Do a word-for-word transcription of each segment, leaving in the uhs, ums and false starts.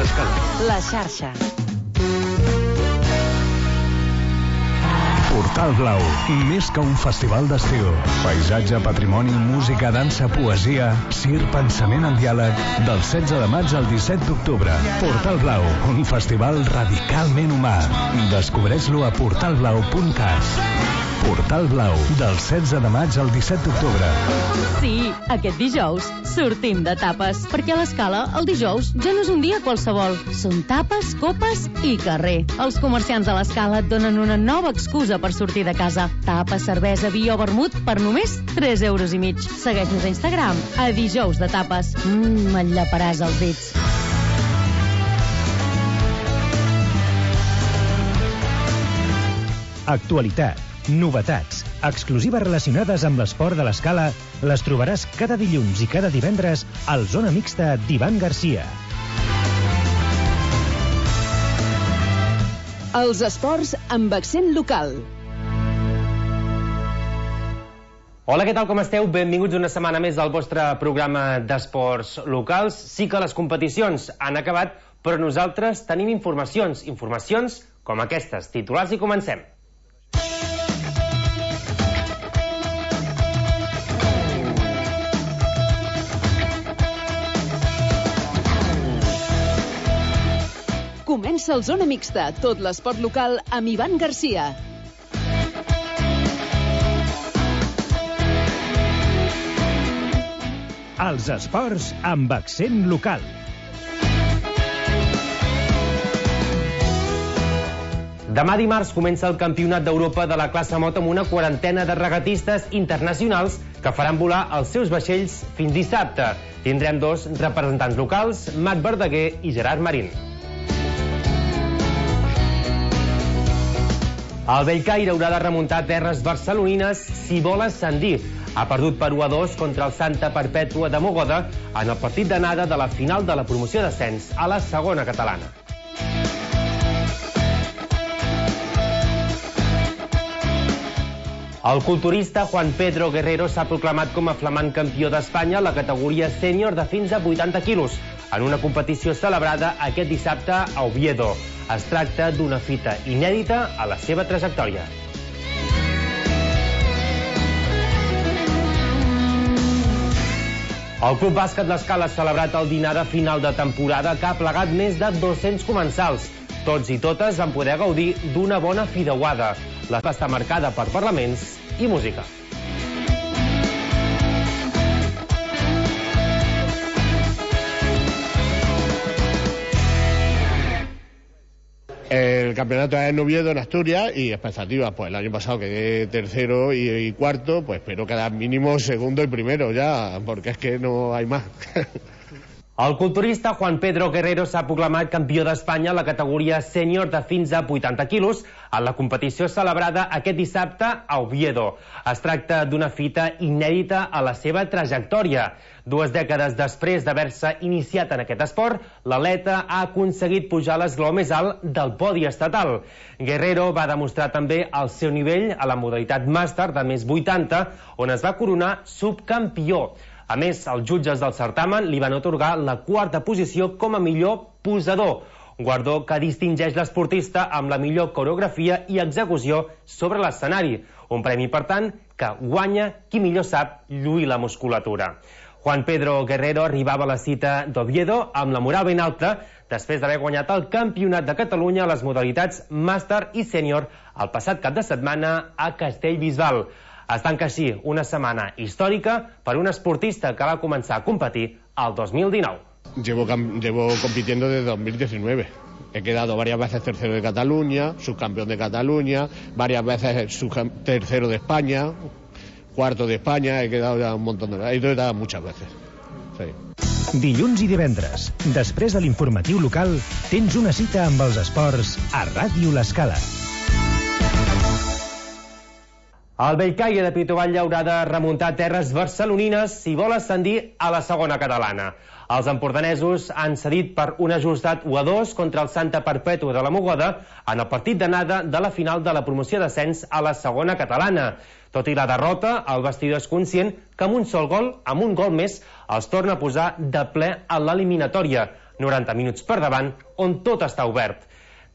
l'Escala. La xarxa. Portal Blau, més que un festival d'estiu. Paisatge, patrimoni, música, dansa, poesia, cir, pensament en diàleg. Del setze de maig al disset d'octubre. Portal Blau, un festival radicalment humà. Descobreix-lo a portal blau punt cat. Portal Blau, del setze de maig al disset d'octubre. Sí, aquest dijous sortim de tapes, perquè a l'Escala el dijous ja no és un dia qualsevol. Són tapes, copes i carrer. Els comerciants de l'Escala et donen una nova excusa per sortir de casa. Tapes, cervesa, vi o vermut per només tres euros i mig. Segueix-nos a Instagram, a dijous de tapes. Mmm, enllaparàs els dits. Actualitat, novetats, exclusives relacionades amb l'esport de l'Escala les trobaràs cada dilluns i cada divendres al Zona Mixta d'Ivan Garcia. Els esports amb accent local. Hola, què tal, com esteu? Benvinguts una setmana més al vostre programa d'esports locals. Sí que les competicions han acabat, però nosaltres tenim informacions, informacions com aquestes. Titulars i comencem. Comença el Zona Mixta, tot l'esport local amb Ivan Garcia. Els esports amb accent local. Demà dimarts comença el Campionat d'Europa de la classe moto amb una quarantena de regatistes internacionals que faran volar els seus vaixells fins dissabte. Tindrem dos representants locals, Marc Verdaguer i Gerard Marín. El Bellcaire haurà de remuntar terres barcelonines si vol ascendir. Ha perdut per u a dos contra el Santa Perpètua de Mogoda en el partit d'anada de la final de la promoció d'ascens a la segona catalana. El culturista Juan Pedro Guerrero s'ha proclamat com a flamant campió d'Espanya a la categoria sènior de fins a vuitanta quilos, en una competició celebrada aquest dissabte a Oviedo. Es tracta d'una fita inèdita a la seva trajectòria. El Club Bàsquet l'Escala ha celebrat el dinar de final de temporada que ha plegat més de dos-cents comensals. Tots i totes van poder gaudir d'una bona fideuada. La festa està marcada per parlaments i música. El campeonato es en Oviedo, en Asturias, y expectativas, pues el año pasado quedé tercero y, y cuarto, pues espero quedar mínimo segundo y primero ya, porque es que no hay más. El culturista Juan Pedro Guerrero s'ha proclamat campió d'Espanya a la categoria sènior de fins a vuitanta quilos en la competició celebrada aquest dissabte a Oviedo. Es tracta d'una fita inèdita a la seva trajectòria. Dues dècades després d'haver-se iniciat en aquest esport, l'atleta ha aconseguit pujar a l'esglaó més alt del podi estatal. Guerrero va demostrar també el seu nivell a la modalitat màster de més vuitanta, on es va coronar subcampió. A més, els jutges del certamen li van atorgar la quarta posició com a millor posador, guardó que distingeix l'esportista amb la millor coreografia i execució sobre l'escenari, un premi, per tant, que guanya qui millor sap lluir la musculatura. Juan Pedro Guerrero arribava a la cita d'Oviedo amb la moral ben alta després d'haver guanyat el Campionat de Catalunya a les modalitats màster i sènior el passat cap de setmana a Castellbisbal. Es tanca així una setmana històrica per un esportista que va començar a competir el dos mil dinou. Llevo, llevo compitiendo desde dos mil diecinueve. He quedado varias veces tercero de Cataluña, subcampeón de Cataluña, varias veces tercero de España, cuarto de España, he quedado ya un montón de veces, he quedado muchas veces. Sí. Dilluns i divendres, després de l'informatiu local, tens una cita amb els esports a Ràdio l'Escala. El Bellcaire de Pitoball haurà de remuntar terres barcelonines si vol ascendir a la segona catalana. Els empordanesos han cedit per un ajustat u a dos contra el Santa Perpètua de la Mogoda en el partit d'anada de la final de la promoció d'ascens a la segona catalana. Tot i la derrota, el vestidor és conscient que amb un sol gol, amb un gol més, els torna a posar de ple a l'eliminatòria. noranta minuts per davant, on tot està obert.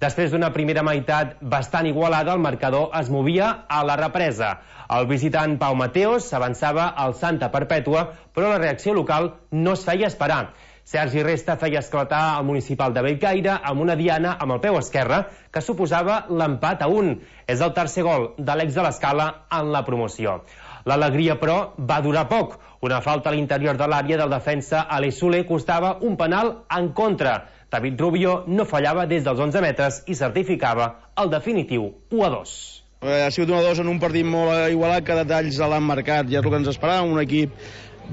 Després d'una primera meitat bastant igualada, el marcador es movia a la represa. El visitant Pau Mateos avançava al Santa Perpètua, però la reacció local no es feia esperar. Sergi Resta feia esclatar el municipal de Bellcaire amb una diana amb el peu esquerre que suposava l'empat a un. És el tercer gol de l'ex de l'Escala en la promoció. L'alegria, però, va durar poc. Una falta a l'interior de l'àrea del defensa Aleix Soler costava un penal en contra. David Rubio no fallava des dels onze metres i certificava el definitiu u a dos. Ha sigut un a dos en un partit molt igualat, que detalls l'han marcat, ja és el que ens esperàvem, un equip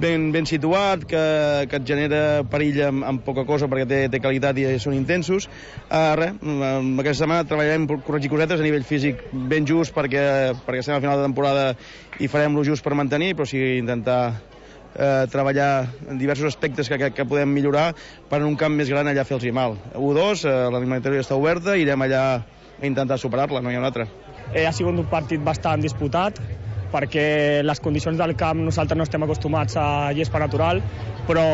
ben, ben situat, que, que et genera perill amb, amb poca cosa perquè té, té qualitat i són intensos. Uh, res, aquesta setmana treballarem per corregir cosetes a nivell físic ben just perquè, perquè estem al final de temporada i farem lo just per mantenir, però sí intentar Eh, treballar en diversos aspectes que, que, que podem millorar per en un camp més gran allà fer-los mal. u a dos, eh, l'eliminatòria està oberta, irem allà a intentar superar-la, no hi ha una altra. Eh, ha sigut un partit bastant disputat perquè les condicions del camp nosaltres no estem acostumats a gespa natural, però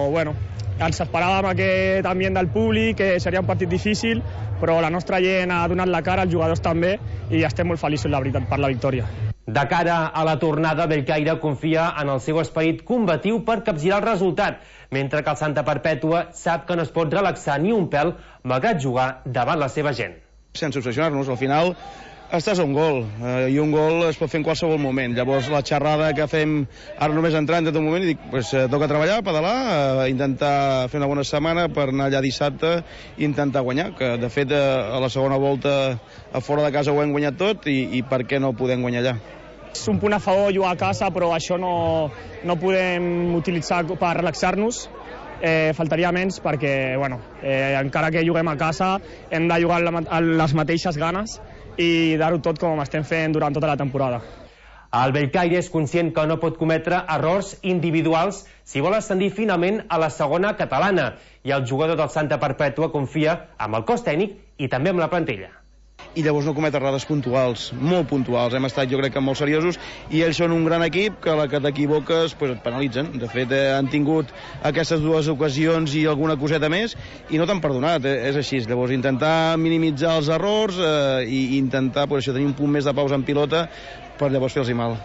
bueno, ens esperàvem aquest ambient del públic, que seria un partit difícil, però la nostra gent ha donat la cara, els jugadors també, i estem molt feliços, la veritat, per la victòria. De cara a la tornada, Bellcaire confia en el seu esperit combatiu per capgirar el resultat, mentre que el Santa Perpètua sap que no es pot relaxar ni un pèl malgrat jugar davant la seva gent. Sense obsessionar-nos, al final estàs a un gol, eh, i un gol es pot fer en qualsevol moment. Llavors la xerrada que fem ara només entrant en tot moment i dic, pues, eh, toca treballar, pedalar, eh, intentar fer una bona setmana per anar allà dissabte i intentar guanyar, que de fet eh, a la segona volta a fora de casa ho hem guanyat tot i, i per què no podem guanyar allà? És un punt a favor jugar a casa, però això no, no podem utilitzar per relaxar-nos. Eh, faltaria menys perquè, bueno, eh, encara que juguem a casa, hem de jugar amb les mateixes ganes i dar-ho tot com estem fent durant tota la temporada. El Bellcaire és conscient que no pot cometre errors individuals si vol ascendir finalment a la segona catalana, i el jugador del Santa Perpètua confia amb el cos tècnic i també amb la plantilla. I llavors no comet errades puntuals, molt puntuals. Hem estat, jo crec que molt seriosos, i ells són un gran equip que a la que t'equivoques pues, et penalitzen. De fet, eh, han tingut aquestes dues ocasions i alguna coseta més i no t'han perdonat, eh, és així. Llavors intentar minimitzar els errors eh, i intentar pues, això, tenir un punt més de pausa en pilota per llavors fer-los mal.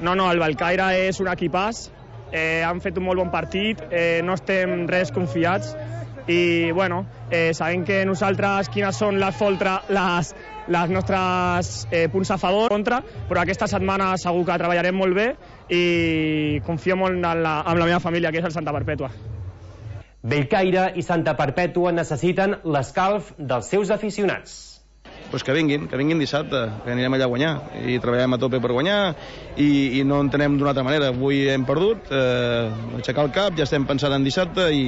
No, no, el Bellcaire és un equipàs, eh, han fet un molt bon partit, eh, no estem res confiats, i bueno, eh, sabem que nosaltres quines són les, foltra, les, les nostres eh, punts a favor contra, però aquesta setmana segur que treballarem molt bé i confio molt en la, en la meva família, que és el Santa Perpètua. Bellcaire i Santa Perpètua necessiten l'escalf dels seus aficionats. Pues que vinguin, que vinguin dissabte, que anirem allà a guanyar i treballarem a tope per guanyar i, i no entenem d'una altra manera. Avui hem perdut, eh, aixecar el cap, ja estem pensant en dissabte i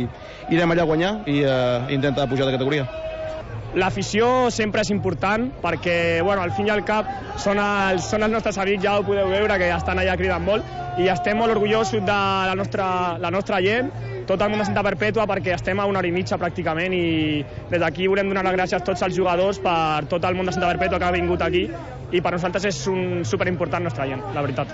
irem allà a guanyar i eh, intentar pujar de categoria. L'afició sempre és important perquè, bueno, al fin i al cap són els, són els nostres amics, ja ho podeu veure, que estan allà cridant molt i estem molt orgullosos de la nostra, la nostra gent, tot el món de Santa Perpètua, perquè estem a una hora i mitja pràcticament i des d'aquí volem donar les gràcies a tots els jugadors per tot el món de Santa Perpètua que ha vingut aquí i per nosaltres és un superimportant nostra gent, la veritat.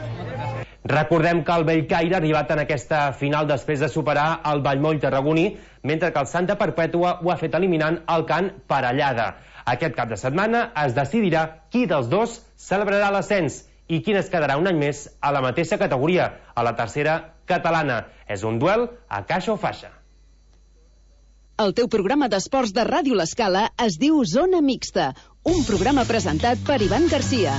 Recordem que el Bellcaire ha arribat en aquesta final després de superar el Vallmoll tarragoní, mentre que el Santa Perpètua ho ha fet eliminant el Can Parellada. Aquest cap de setmana es decidirà qui dels dos celebrarà l'ascens i quin es quedarà un any més a la mateixa categoria, a la tercera catalana. És un duel a caixa o faixa. El teu programa d'esports de Ràdio L'Escala es diu Zona Mixta, un programa presentat per Ivan Garcia.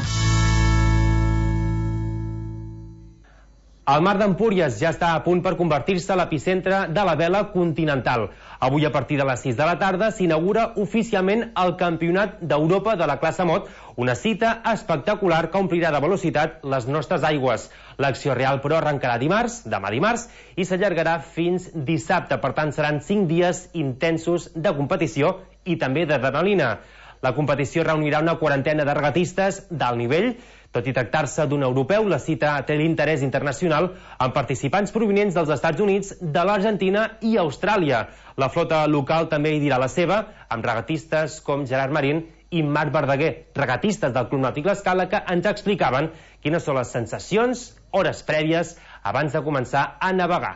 El mar d'Empúries ja està a punt per convertir-se a l'epicentre de la vela continental. Avui, a partir de les sis de la tarda, s'inaugura oficialment el Campionat d'Europa de la classe Mot, una cita espectacular que omplirà de velocitat les nostres aigües. L'acció real, però, arrencarà dimarts, demà dimarts, i s'allargarà fins dissabte. Per tant, seran cinc dies intensos de competició i també d'adrenalina. La competició reunirà una quarantena de regatistes d'alt nivell. Tot i tractar-se d'un europeu, la cita té l'interès internacional amb participants provinents dels Estats Units, de l'Argentina i Austràlia. La flota local també hi dirà la seva, amb regatistes com Gerard Marín i Marc Verdaguer, regatistes del Club Nàutic L'Escala, que ens explicaven quines són les sensacions, hores prèvies, abans de començar a navegar.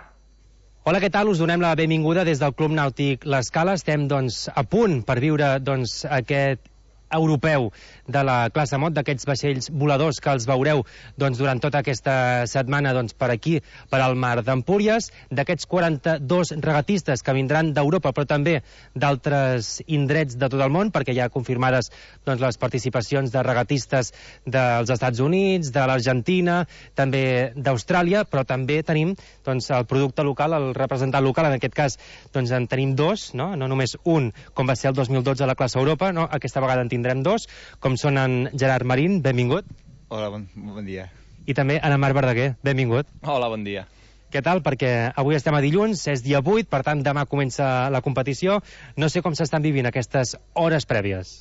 Hola, què tal? Us donem la benvinguda des del Club Nàutic L'Escala. Estem, doncs, a punt per viure, doncs, aquest europeu de la classe Mot, d'aquests vaixells voladors que els veureu doncs, durant tota aquesta setmana doncs, per aquí, per al mar d'Empúries, d'aquests quaranta-dos regatistes que vindran d'Europa, però també d'altres indrets de tot el món, perquè hi ha confirmades doncs, les participacions de regatistes dels Estats Units, de l'Argentina, també d'Austràlia, però també tenim doncs, el producte local, el representant local, en aquest cas doncs, en tenim dos, no? no només un, com va ser el dos mil dotze a la classe Europa, no? Aquesta vegada en tindrem dos, com són en Gerard Marín, benvingut. Hola, bon, bon dia. I també en Marc Verdaguer, benvingut. Hola, bon dia. Què tal? Perquè avui estem a dilluns, és dia vuit, per tant demà comença la competició. No sé com s'estan vivint aquestes hores prèvies.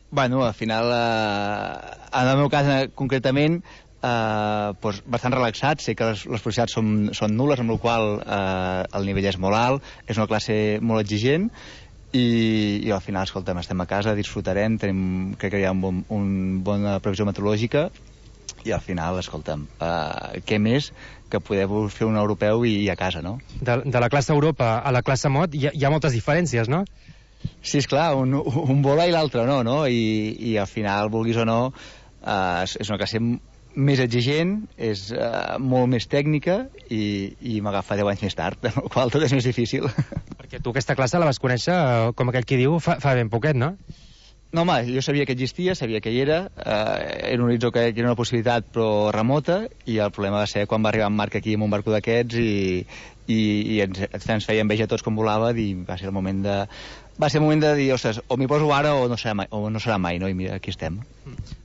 Bueno, al final, eh, en el meu cas eh, concretament, eh, doncs bastant relaxat. Sé que les, les possibilitats són, són nul·les, amb la qual cosa eh, el nivell és molt alt, és una classe molt exigent, I, i al final, escolta'm, estem a casa, disfrutarem, tenim, crec que hi ha un bon, un bona previsió meteorològica i al final, escolta'm, uh, què més que poder fer un europeu i, i a casa, no? De, de la classe Europa a la classe Mot hi ha, hi ha moltes diferències, no? Sí, esclar, un, un vola i l'altre no, no? I, i al final, vulguis o no, uh, és, és una classe més exigent, és uh, molt més tècnica i, i m'agafa deu anys més tard, amb la qual tot és més difícil. Perquè tu aquesta classe la vas conèixer, com aquell qui diu, fa, fa ben poquet, no? No, home, jo sabia que existia, sabia que hi era, eh, era un horitzó que, que era una possibilitat però remota, i el problema va ser quan va arribar en Marc aquí amb un barco d'aquests i, i, i ens, ens feia enveja a tots com volava, i va ser el moment de... Va ser el moment de dir, ostres, o m'hi poso ara o no serà mai, o no serà mai, no? I mira, aquí estem.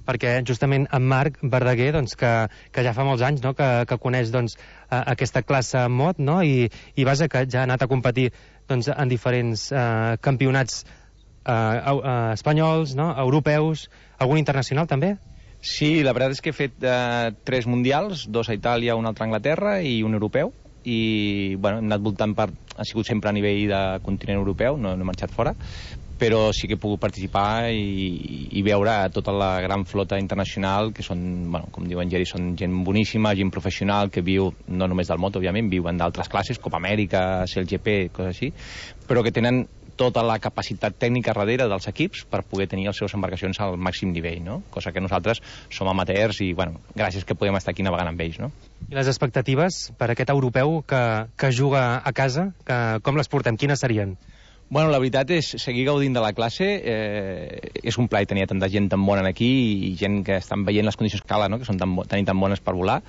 Perquè justament en Marc Verdaguer, doncs, que, que ja fa molts anys, no?, que, que coneix, doncs, aquesta classe Mot, no?, i, i vaja, que ja ha anat a competir, doncs, en diferents eh, campionats eh, eh, espanyols, no?, europeus, algun internacional també? Sí, la veritat és que he fet eh, tres mundials, dos a Itàlia, un altre a Anglaterra i un europeu, i bueno, hem anat voltant per... ha sigut sempre a nivell de continent europeu, no, no he marxat fora, però sí que he pogut participar i, i veure tota la gran flota internacional, que són, bueno, com diu en Geri, són gent boníssima, gent professional, que viu no només del moto, òbviament, viuen d'altres classes, Copa Amèrica, C L G P, coses així, però que tenen tota la capacitat tècnica darrere dels equips per poder tenir les seves embarcacions al màxim nivell, no? Cosa que nosaltres som amateurs i, bueno, gràcies que podem estar aquí navegant amb ells, no? I les expectatives per aquest europeu que, que juga a casa, que, com les portem? Quines serien? Bueno, la veritat és seguir gaudint de la classe. Eh, és un plaer tenir tanta gent tan bona aquí i gent que estan veient les condicions que calen, no?, que són tan, tan, tan bones per volar.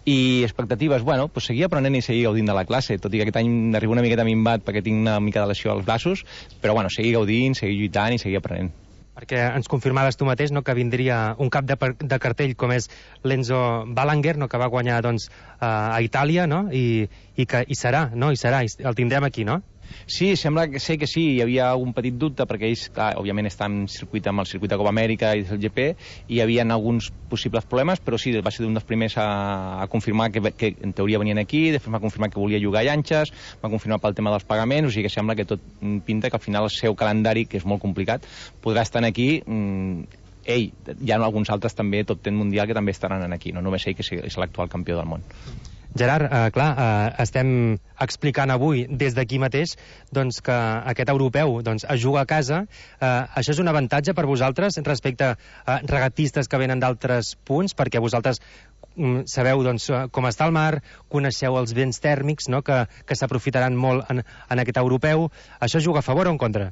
I expectatives, bueno, pues seguir aprenent i seguir gaudint de la classe, tot i que aquest any arribo una miqueta minvat perquè tinc una mica de lesió als braços, però bueno, seguir gaudint, seguir lluitant i seguir aprenent. Perquè ens confirmaves tu mateix, no?, que vindria un cap de, de cartell com és l'Enzo Balanger, no?, que va guanyar doncs, a Itàlia, no?, i, i que hi serà, no?, hi serà, el tindrem aquí, no? Sí, sembla que sé que sí, hi havia un petit dubte perquè ells, clar, òbviament estan en circuit amb el circuit de Copa Amèrica i del G P i hi havia alguns possibles problemes, però sí, va ser un dels primers a, a confirmar que, que en teoria venien aquí, després va confirmar que volia jugar a llanxes, va confirmar pel tema dels pagaments, o sigui que sembla que tot pinta que al final el seu calendari, que és molt complicat, podrà estar aquí. Mm, ell, hi ha alguns altres també, top ten mundial, que també estaran aquí, no només ell, que és l'actual campió del món. Gerard, eh, clar, eh, estem explicant avui des d'aquí mateix doncs, que aquest europeu doncs, es juga a casa. Eh, això és un avantatge per vosaltres respecte a regatistes que venen d'altres punts, perquè vosaltres mm, sabeu doncs, com està el mar, coneixeu els vents tèrmics, no?, que, que s'aprofitaran molt en, en aquest europeu. Això juga a favor o en contra?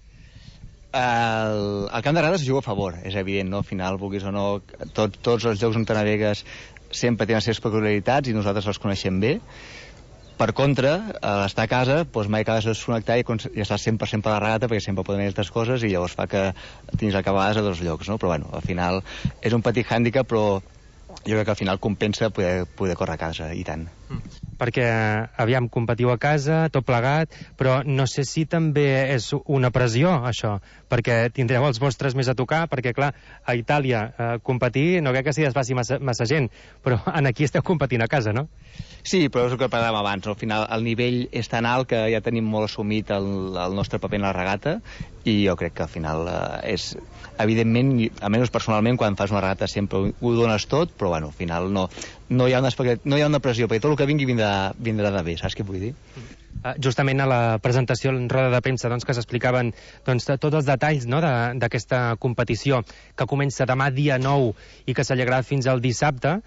El, el camp de Rades es juga a favor, és evident, no? Al final, vulguis o no, tot, tots els llocs on te navegues sempre tenen les seves peculiaritats i nosaltres els coneixem bé. Per contra, a l'estar a casa, doncs mai acabes de desconnectar i, i estàs cent per cent per la regata perquè sempre poden haver altres coses i llavors fa que tinguis acabades a dos llocs, no? Però bueno, al final és un petit hàndicap, però jo crec que al final compensa poder, poder córrer a casa, i tant. Perquè, aviam, competiu a casa, tot plegat, però no sé si també és una pressió, això, perquè tindreu els vostres més a tocar, perquè, clar, a Itàlia eh, competir no crec que s'hi desfaci massa, massa gent, però en aquí esteu competint a casa, no? Sí, però és el que parlàvem abans. Al final, el nivell és tan alt que ja tenim molt assumit el, el nostre paper en la regata, i jo crec que al final eh, és... Evidentment, almenys personalment, quan fas una regata sempre ho, ho dones tot, però bueno, al final no, no, hi ha una, no hi ha una pressió, perquè tot el que vingui vindrà, vindrà de bé, saps què vull dir? Justament a la presentació en roda de premsa doncs, que s'explicaven doncs, tots els detalls, no, d'aquesta competició que comença demà dia nou i que s'allargarà fins al dissabte,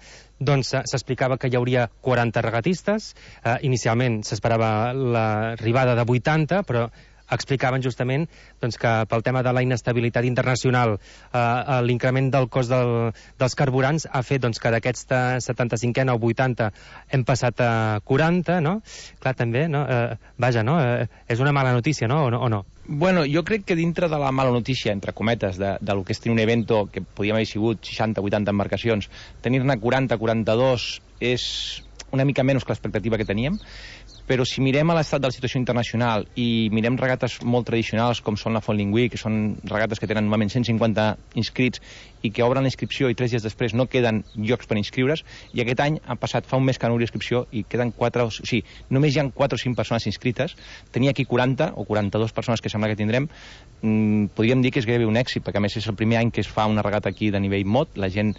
doncs s'explicava que hi hauria quaranta regatistes, eh, inicialment s'esperava l'arribada de vuitanta, però explicaven justament doncs, que pel tema de la inestabilitat internacional eh, l'increment del cost del, dels carburants ha fet doncs, que d'aquesta setanta-cinquena o vuitanta hem passat a quaranta, no? Clar, també, no? Eh, vaja, no? Eh, és una mala notícia, no? O no? O no? Bueno, jo crec que dintre de la mala notícia, entre cometes, de, de lo que és tenir un evento que podíem haver sigut seixanta vuitanta embarcacions, tenir-ne quaranta quaranta-dos és una mica menys que l'expectativa que teníem, però si mirem a l'estat de la situació internacional i mirem regates molt tradicionals com són la Fontliнгui, que són regates que tenen normalment cent cinquanta inscrits i que obren la inscripció i tres dies després no queden llocs per inscriure's, i aquest any han passat fa un mes que han obert inscripció i queden quatre, o sigui, només hi ha quatre o cinc persones inscrites. Tenir aquí quaranta o quaranta-dues persones que sembla que tindrem, mmm, podríem dir que és gairebé un èxit, perquè a més és el primer any que es fa una regata aquí de nivell mod. La gent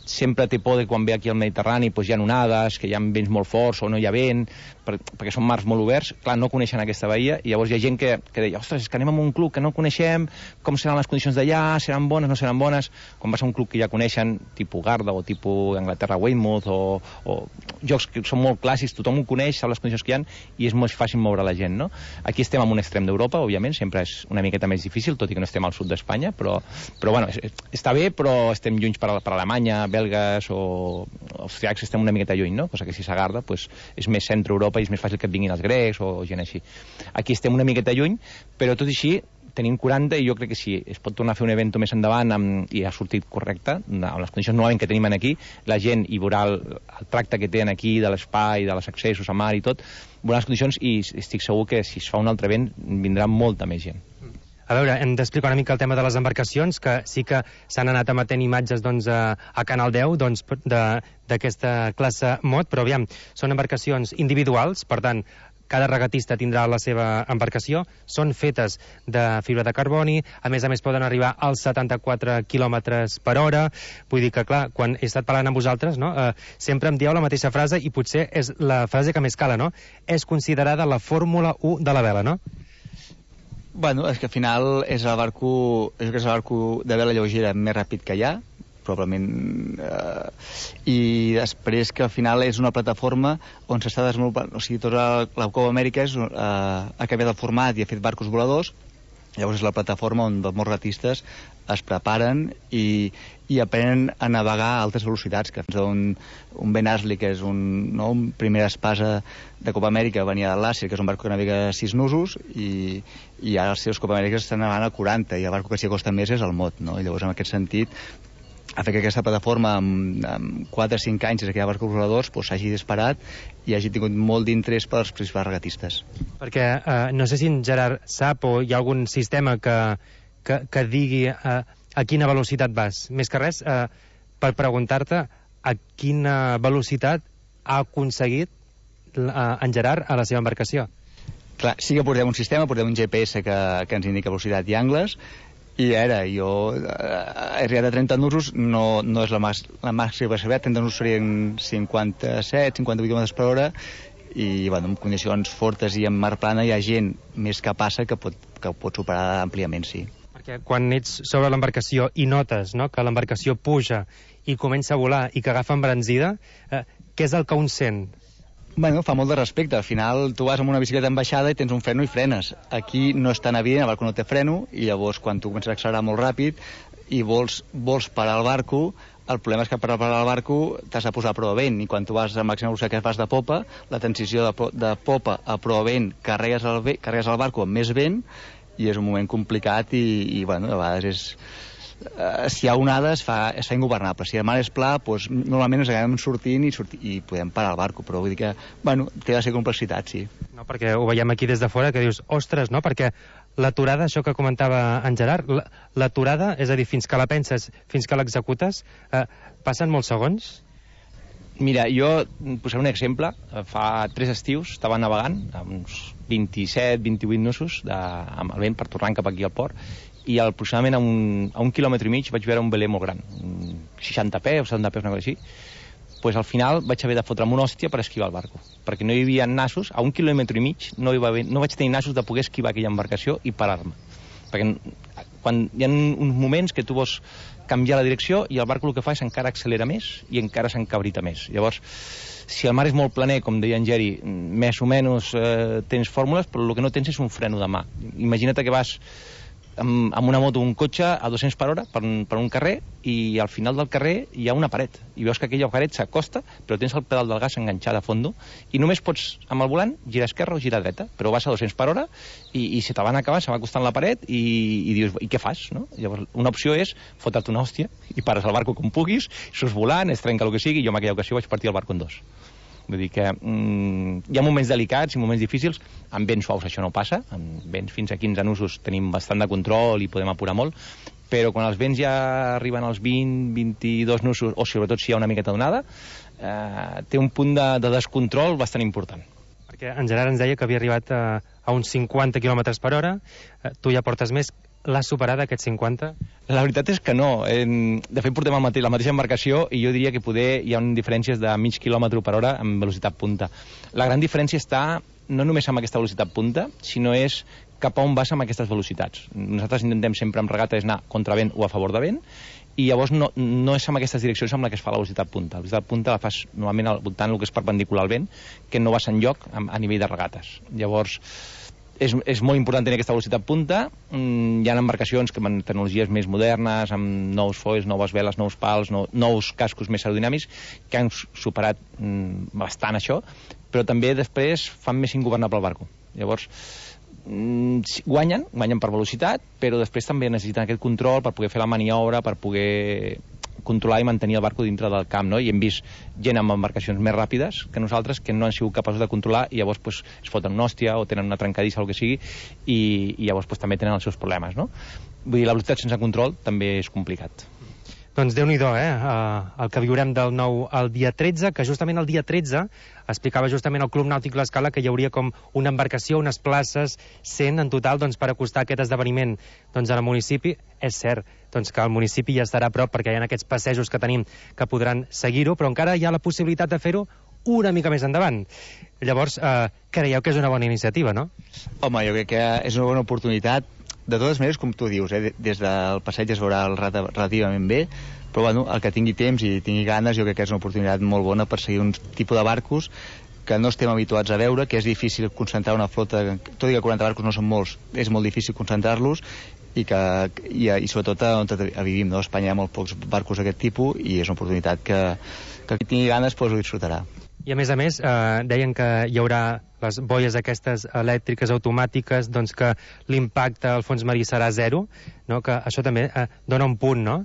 sempre té por de quan ve aquí al Mediterrani, doncs hi ha onades, que hi ha vents molt forts o no hi ha vent, per, perquè són mars molt oberts. Clar, no coneixen aquesta bahia, i llavors hi ha gent que, que deia, ostres, és que anem a un club que no coneixem, com seran les condicions d'allà, seran bones, no seran bones. Quan vas a un club que ja coneixen, tipus Garda o tipus Anglaterra Weymouth, o, o jocs que són molt clàssics, tothom ho coneix, sap les condicions que hi ha, i és molt fàcil moure la gent, no? Aquí estem en un extrem d'Europa, òbviament, sempre és una miqueta més difícil, tot i que no estem al sud d'Espanya, però, però bueno, està bé, però estem lluny per, per Alemanya, belgues o austríacs, estem una miqueta lluny, no? Cosa que si s'agarda, pues, és més centre-Europa i és més fàcil que et vinguin els grecs o gent així. Aquí estem una miqueta lluny, però tot i així tenim quaranta, i jo crec que si es pot tornar a fer un event més endavant amb, i ha sortit correcte, amb les condicions novament que tenim aquí, la gent hi veurà el, el tracte que tenen aquí de l'espai, de les accessos a mar i tot, veurà les condicions, i estic segur que si es fa un altre event vindrà molta més gent. A veure, hem d'explicar una mica el tema de les embarcacions, que sí que s'han anat emetent imatges doncs, a, a Canal deu doncs, d'aquesta classe mod, però aviam, són embarcacions individuals, per tant, cada regatista tindrà la seva embarcació, són fetes de fibra de carboni, a més a més poden arribar als setanta-quatre quilòmetres per hora, vull dir que, clar, quan he estat parlant amb vosaltres, no, eh, sempre em dieu la mateixa frase, i potser és la frase que més cala, no? És considerada la Fórmula u de la vela, no? Bueno, és que al final és el barco, és el barco de vela lleugera més ràpid que hi ha, probablement, eh, i després que al final és una plataforma on s'està desenvolupant, o sigui, tota la, la Copa Amèrica és, eh, ha canviat el format i ha fet barcos voladors. Llavors és la plataforma on els molts regatistes es preparen i, i aprenen a navegar a altes velocitats, que un, un Ben Astley, que és un, no, un primer espasa de Copa Amèrica, venia de l'Àsia, que és un barco que navega a sis nusos, i, i ara els seus Copa Amèriques estan navegant a quaranta, i el barco que s'hi acosta més és el Mod, no? I llavors, en aquest sentit, ha fet que aquesta plataforma amb, amb quatre o cinc anys des que hi ha barcos voladors s'hagi doncs, disparat i hagi tingut molt d'interès per als principals regatistes. Perquè eh, no sé si en Gerard sap o hi ha algun sistema que, que, que digui eh, a quina velocitat vas. Més que res, eh, per preguntar-te a quina velocitat ha aconseguit eh, en Gerard a la seva embarcació. Clar, sí que portem un sistema, portem un G P S que, que ens indica velocitat i angles. I ara, jo eh, he arribat a trenta nusos, no, no és la, mas, la màxima possibilitat, trenta nusos serien cinquanta-set, cinquanta-vuit quilòmetres per hora, i bueno, en condicions fortes i en mar plana hi ha gent més que passa que pot, que pot superar àmpliament, sí. Perquè quan ets sobre l'embarcació i notes, no?, que l'embarcació puja i comença a volar i que agafa embranzida, eh, què és el que un sent? Bueno, fa molt de respecte. Al final tu vas amb una bicicleta en baixada i tens un freno i frenes. Aquí no és tan evident, el barco no té freno, i llavors quan tu comences a accelerar molt ràpid i vols, vols parar el barco, el problema és que per parar el barco t'has de posar a prova vent, i quan tu vas a màxima velocitat que vas de popa, la transició de, de popa a prova vent, carregues el, carregues el barco amb més vent, i és un moment complicat i, i bueno, a vegades és... eh, si hi ha onada es fa, es fa ingovernable. Si el mar és pla, doncs, normalment ens acabem sortint i, sortir, i podem parar el barco, però vull dir que, bueno, té la seva complexitat, sí. No, perquè ho veiem aquí des de fora, que dius, ostres, no?, perquè l'aturada, això que comentava en Gerard, l'aturada, és a dir, fins que la penses, fins que l'executes, eh, passen molts segons? Mira, jo posaré un exemple. Fa tres estius estava navegant amb uns vint-i-set vint-i-vuit nusos de, amb el vent per tornar cap aquí al port, i aproximadament a un, a un quilòmetre i mig vaig veure un veler molt gran, seixanta peus, setanta peus, una cosa així. Pues al final vaig haver de fotre'm una hòstia per esquivar el barco, perquè no hi havia nassos, a un quilòmetre i mig no, hi va haver, no vaig tenir nassos de poder esquivar aquella embarcació i parar-me. Perquè quan hi ha uns moments que tu vols canviar la direcció i el barco el que fa és encara accelera més i encara s'encabrita més. Llavors, si el mar és molt planer, com deia en Geri, més o menys eh, tens fórmules, però el que no tens és un freno de mà. Imagina't que vas amb, amb una moto o un cotxe a dos-cents per hora per, per un carrer, i al final del carrer hi ha una paret, i veus que aquella paret s'acosta, però tens el pedal del gas enganxat a fondo, i només pots, amb el volant, girar esquerra o girar dreta, però vas a dos-cents per hora i, i se te van acabar, se va acostant la paret i, i dius, i què fas? No? Llavors, una opció és fotre't una hòstia i pares el barco com puguis, surts volant, es trenca el que sigui, i jo en aquella ocasió vaig partir el barco en dos. Vull dir que mm, hi ha moments delicats i moments difícils. Amb vents suaus això no passa, amb vents fins a quinze nusos tenim bastant de control i podem apurar molt, però quan els vents ja arriben als vint, vint-i-dos nusos, o sobretot si hi ha una miqueta d'onada, eh, té un punt de, de descontrol bastant important. Perquè en Gerard ens deia que havia arribat a, a uns cinquanta quilòmetres per hora, eh, tu ja portes més. L'has superat, aquests cinquanta? La veritat és que no. De fet, portem el mateix, la mateixa embarcació, i jo diria que poder hi ha diferències de mig quilòmetre per hora amb velocitat punta. La gran diferència està no només amb aquesta velocitat punta, sinó és cap a on vas amb aquestes velocitats. Nosaltres intentem sempre amb regata és anar contra vent o a favor de vent, i llavors no, no és amb aquestes direccions amb la que es fa la velocitat punta. La velocitat punta la fas normalment al voltant del que és perpendicular al vent, que no vas enlloc a, a nivell de regates. Llavors, És, és molt important tenir aquesta velocitat punta. Mm, hi ha embarcacions que amb tecnologies més modernes, amb nous foils, noves veles, nous pals, no, nous cascos més aerodinàmics, que han superat mm, bastant això, però també després fan més ingovernable el barco. Llavors, mm, guanyen, guanyen per velocitat, però després també necessiten aquest control per poder fer la maniobra, per poder controlar i mantenir el barco dintre del camp, no? I hem vist gent amb embarcacions més ràpides que nosaltres que no han sigut capaços de controlar, i llavors pues, es foten una hòstia o tenen una trencadissa o el que sigui, i, i llavors pues, també tenen els seus problemes, no? Vull dir, la velocitat sense control també és complicat. Doncs Déu-n'hi-do, eh? Uh, el que viurem del nou al dia tretze, que justament el dia tretze explicava justament el Club Nàutic L'Escala que hi hauria com una embarcació, unes places, cent en total, doncs, per acostar aquest esdeveniment doncs, al municipi. És cert doncs, que el municipi ja estarà a prop, perquè hi ha aquests passejos que tenim que podran seguir-ho, però encara hi ha la possibilitat de fer-ho una mica més endavant. Llavors, eh, creieu que és una bona iniciativa, no? Home, jo crec que és una bona oportunitat. De totes maneres, com tu dius, eh, des del passeig es veurà relativament bé, però bueno, el que tingui temps i tingui ganes, jo crec que és una oportunitat molt bona per seguir un tipus de barcos que no estem habituats a veure, que és difícil concentrar una flota, tot i que quaranta barcos no són molts, és molt difícil concentrar-los, i, que, i, i sobretot on vivim, no? A Espanya hi ha molt pocs barcos d'aquest tipus, i és una oportunitat que, que qui tingui ganes pues, ho disfrutarà. I a més a més, eh, deien que hi haurà les boies aquestes elèctriques automàtiques, doncs que l'impacte al fons marí serà zero, no? Que això també eh, dona un punt, no?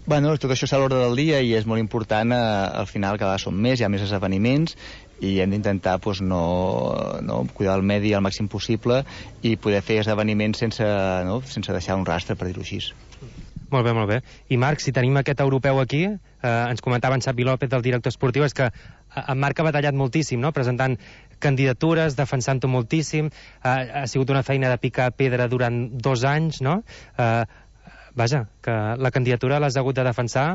Bueno, tot això està a l'ordre del dia i és molt important, eh, al final cada vegada són més, hi ha més esdeveniments, i hem d'intentar pues, no, no, cuidar el medi al màxim possible i poder fer esdeveniments sense, no, sense deixar un rastre, per dir-ho així. Molt bé, molt bé. I Marc, si tenim aquest europeu aquí, eh, ens comentava en Xavi López, del director esportiu, és que en Marc ha batallat moltíssim, no? Presentant candidatures, defensant-ho moltíssim, eh, ha sigut una feina de picar pedra durant dos anys, no? Eh, vaja, que la candidatura l'has hagut de defensar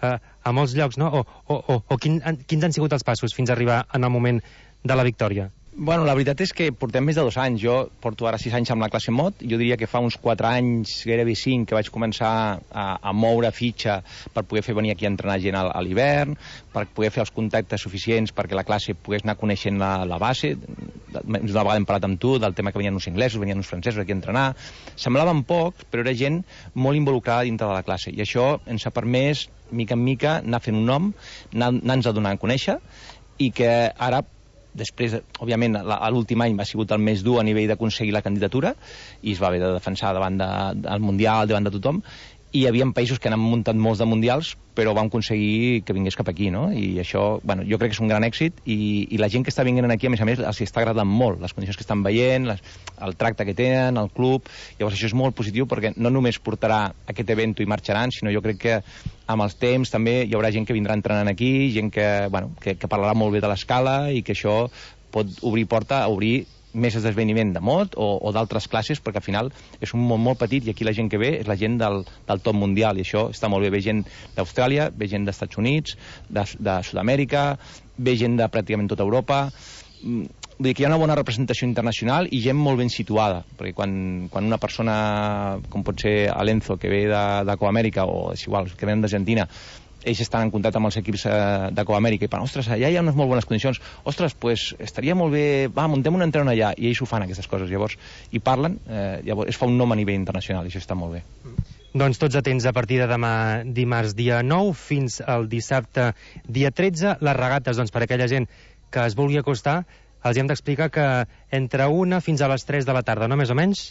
eh, a molts llocs, no? O, o, o, o quin, quins han sigut els passos fins a arribar en el moment de la victòria? Bueno, la veritat és que portem més de dos anys. Jo porto ara sis anys amb la classe Mod. Jo diria que fa uns quatre anys, gairebé cinc, que vaig començar a, a moure fitxa per poder fer venir aquí a entrenar gent a, a l'hivern, per poder fer els contactes suficients perquè la classe pogués anar coneixent la, la base. Una vegada hem parlat amb tu del tema que venien uns inglesos, venien uns francesos aquí a entrenar. Semblaven pocs, però era gent molt involucrada dintre de la classe. I això ens ha permès, mica en mica, anar fent un nom, anar-nos a donar a conèixer, i que ara després, òbviament, l'últim any va sigut el més dur a nivell d'aconseguir la candidatura i es va haver de defensar davant de, del Mundial, davant de tothom, i hi havia països que han muntat molts de mundials, però vam aconseguir que vingués cap aquí, no? I això, bueno, jo crec que és un gran èxit, i, i la gent que està vinguent aquí, a més a més, els està agradant molt, les condicions que estan veient, les, el tracte que tenen, el club. Llavors això és molt positiu, perquè no només portarà aquest event i marxaran, sinó jo crec que amb els temps també hi haurà gent que vindrà entrenant aquí, gent que, bueno, que, que parlarà molt bé de l'escala, i que això pot obrir porta a obrir més esdeveniment de mod o, o d'altres classes, perquè al final és un món molt petit, i aquí la gent que ve és la gent del, del top mundial, i això està molt bé. Ve gent d'Austràlia, ve gent dels Estats Units, de, de Sud-amèrica, ve gent de pràcticament tota Europa. Vull dir que hi ha una bona representació internacional i gent molt ben situada, perquè quan, quan una persona, com pot ser Alenzo, que ve de, de Coamèrica, o és igual, que venen d'Argentina, ells estan en contacte amb els equips eh, de Coamèrica i pensen, ostres, allà hi ha unes molt bones condicions, ostres, pues estaria molt bé, va, muntem un entrenador allà, i ells ho fan, aquestes coses, llavors, i parlen, eh, llavors es fa un nom a nivell internacional, i això està molt bé. Doncs tots atents a partir de demà dimarts dia nou fins al dissabte dia tretze, les regates, doncs per aquella gent que es vulgui acostar, els hem d'explicar que entre una fins a les tres de la tarda, no més o menys?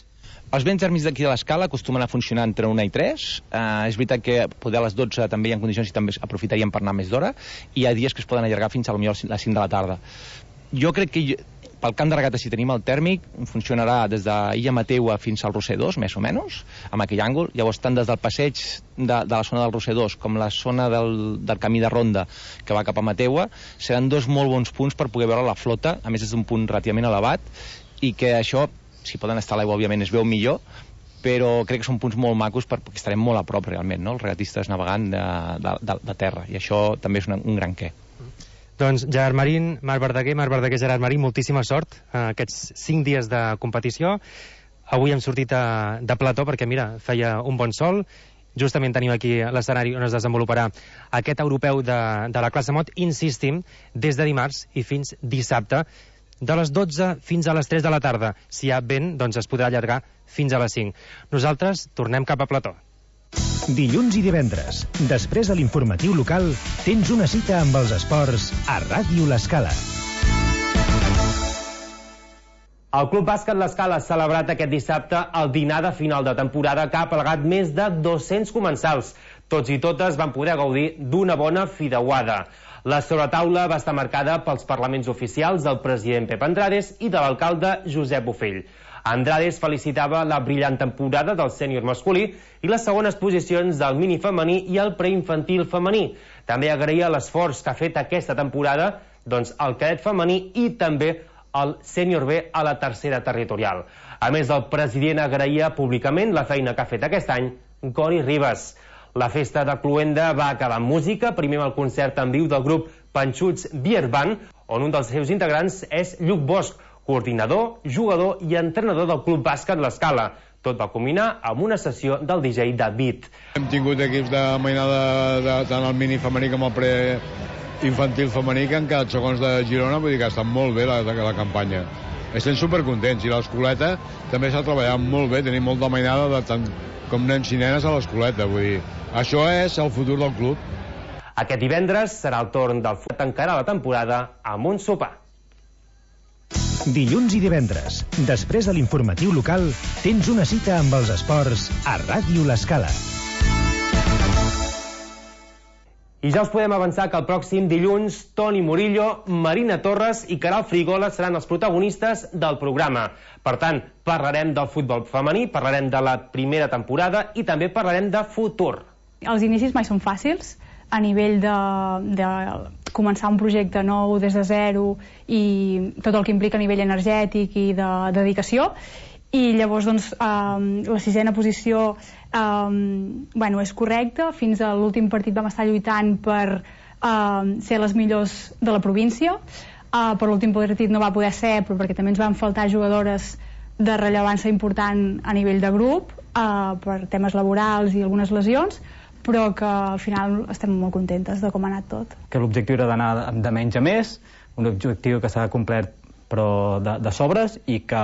Els vents tèrmics d'aquí de l'escala acostumen a funcionar entre una i tres. Uh, és veritat que poder a les dotze també hi ha condicions i també aprofitaríem per anar més d'hora, i hi ha dies que es poden allargar fins a potser les cinc de la tarda. Jo crec que jo, pel camp de regates, si tenim el tèrmic, funcionarà des d'Illa Mateua fins al Roser dos, més o menys, amb aquell àngol. Llavors, tant des del passeig de, de la zona del Roser dos com la zona del, del camí de ronda que va cap a Mateua, seran dos molt bons punts per poder veure la flota, a més és d'un punt relativament elevat, i que això, si poden estar a l'aigua, òbviament es veu millor, però crec que són punts molt macos perquè estarem molt a prop realment, no? Els regatistes navegant de, de, de, de terra, i això també és una, un gran què. Doncs Gerard Marín, Marc Verdaguer, Marc Verdaguer, Gerard Marín, moltíssima sort eh, aquests cinc dies de competició. Avui hem sortit a, de plató perquè, mira, feia un bon sol. Justament tenim aquí l'escenari on es desenvoluparà aquest europeu de, de la classe mod, insistim, des de dimarts i fins dissabte, de les dotze fins a les tres de la tarda. Si hi ha vent, doncs es podrà allargar fins a les cinc. Nosaltres tornem cap a plató. Dilluns i divendres, després de l'informatiu local, tens una cita amb els esports a Ràdio L'Escala. El Club Bàsquet L'Escala ha celebrat aquest dissabte el dinar de final de temporada que ha aplegat més de dos-cents comensals. Tots i totes van poder gaudir d'una bona fideuada. La sobretaula va estar marcada pels parlaments oficials del president Pep Andrades i de l'alcalde Josep Bofill. Andrades felicitava la brillant temporada del sènior masculí i les segones posicions del mini femení i el preinfantil femení. També agraïa l'esforç que ha fet aquesta temporada doncs, el cadet femení i també el sènior B a la tercera territorial. A més, el president agraïa públicament la feina que ha fet aquest any Cori Ribas. La festa de Cluenda va acabar amb música, primer amb el concert en viu del grup Panxuts Beer Band, on un dels seus integrants és Lluc Bosch, coordinador, jugador i entrenador del Club Bàsquet L'Escala. Tot va culminar amb una sessió del D J David. Hem tingut equips de mainada de, de, tant el mini femení com el preinfantil femení que han quedat segons de Girona, vull dir que estan molt bé la, la campanya. Estem supercontents, i l'escoleta també s'ha treballat molt bé, tenim molta mainada de tant com nens i nenes a l'escoleta, vull dir, això és el futur del club. Aquest divendres serà el torn del F U tancarà la temporada amb un sopar. Dilluns i divendres, després de l'informatiu local, tens una cita amb els esports a Ràdio L'Escala. I ja us podem avançar que el pròxim dilluns Toni Murillo, Marina Torres i Caral Frigola seran els protagonistes del programa. Per tant, parlarem del futbol femení, parlarem de la primera temporada i també parlarem de futur. Els inicis mai són fàcils, a nivell de, de començar un projecte nou des de zero i tot el que implica a nivell energètic i de, de dedicació. I llavors doncs, eh, la sisena posició eh, bueno, és correcta. Fins a l'últim partit vam estar lluitant per eh, ser les millors de la província. Eh, per l'últim partit no va poder ser, però perquè també ens van faltar jugadores de rellevància important a nivell de grup, eh, per temes laborals i algunes lesions, però que al final estem molt contentes de com ha anat tot. Que l'objectiu era d'anar de menys a més, un objectiu que s'ha complert però de, de sobres, i que,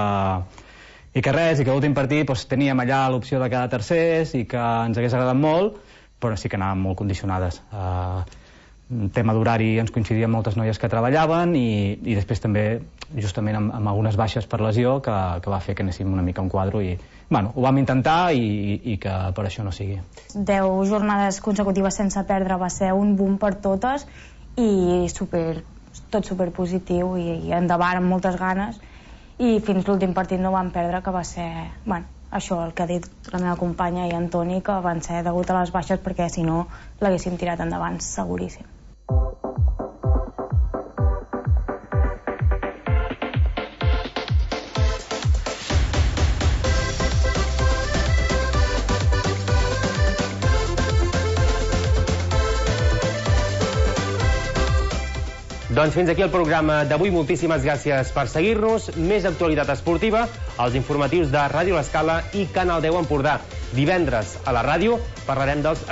i que res, i que l'últim partit doncs, teníem allà l'opció de quedar tercers i que ens hagués agradat molt, però sí que anàvem molt condicionades. Uh, tema d'horari ens coincidien moltes noies que treballaven i, i després també justament amb, amb algunes baixes per lesió que, que va fer que anéssim una mica a un quadro i bueno, ho vam intentar i, i, i que per això no sigui. Deu jornades consecutives sense perdre va ser un boom per totes i super, tot superpositiu i, i endavant amb moltes ganes i fins l'últim partit no vam perdre, que va ser bueno, això el que ha dit la meva companya i Antoni, que van ser degut a les baixes perquè si no l'haguéssim tirat endavant seguríssim. Doncs fins aquí el programa d'avui. Moltíssimes gràcies per seguir-nos. Més actualitat esportiva als informatius de Ràdio L'Escala i Canal deu Empordà. Divendres a la ràdio parlarem dels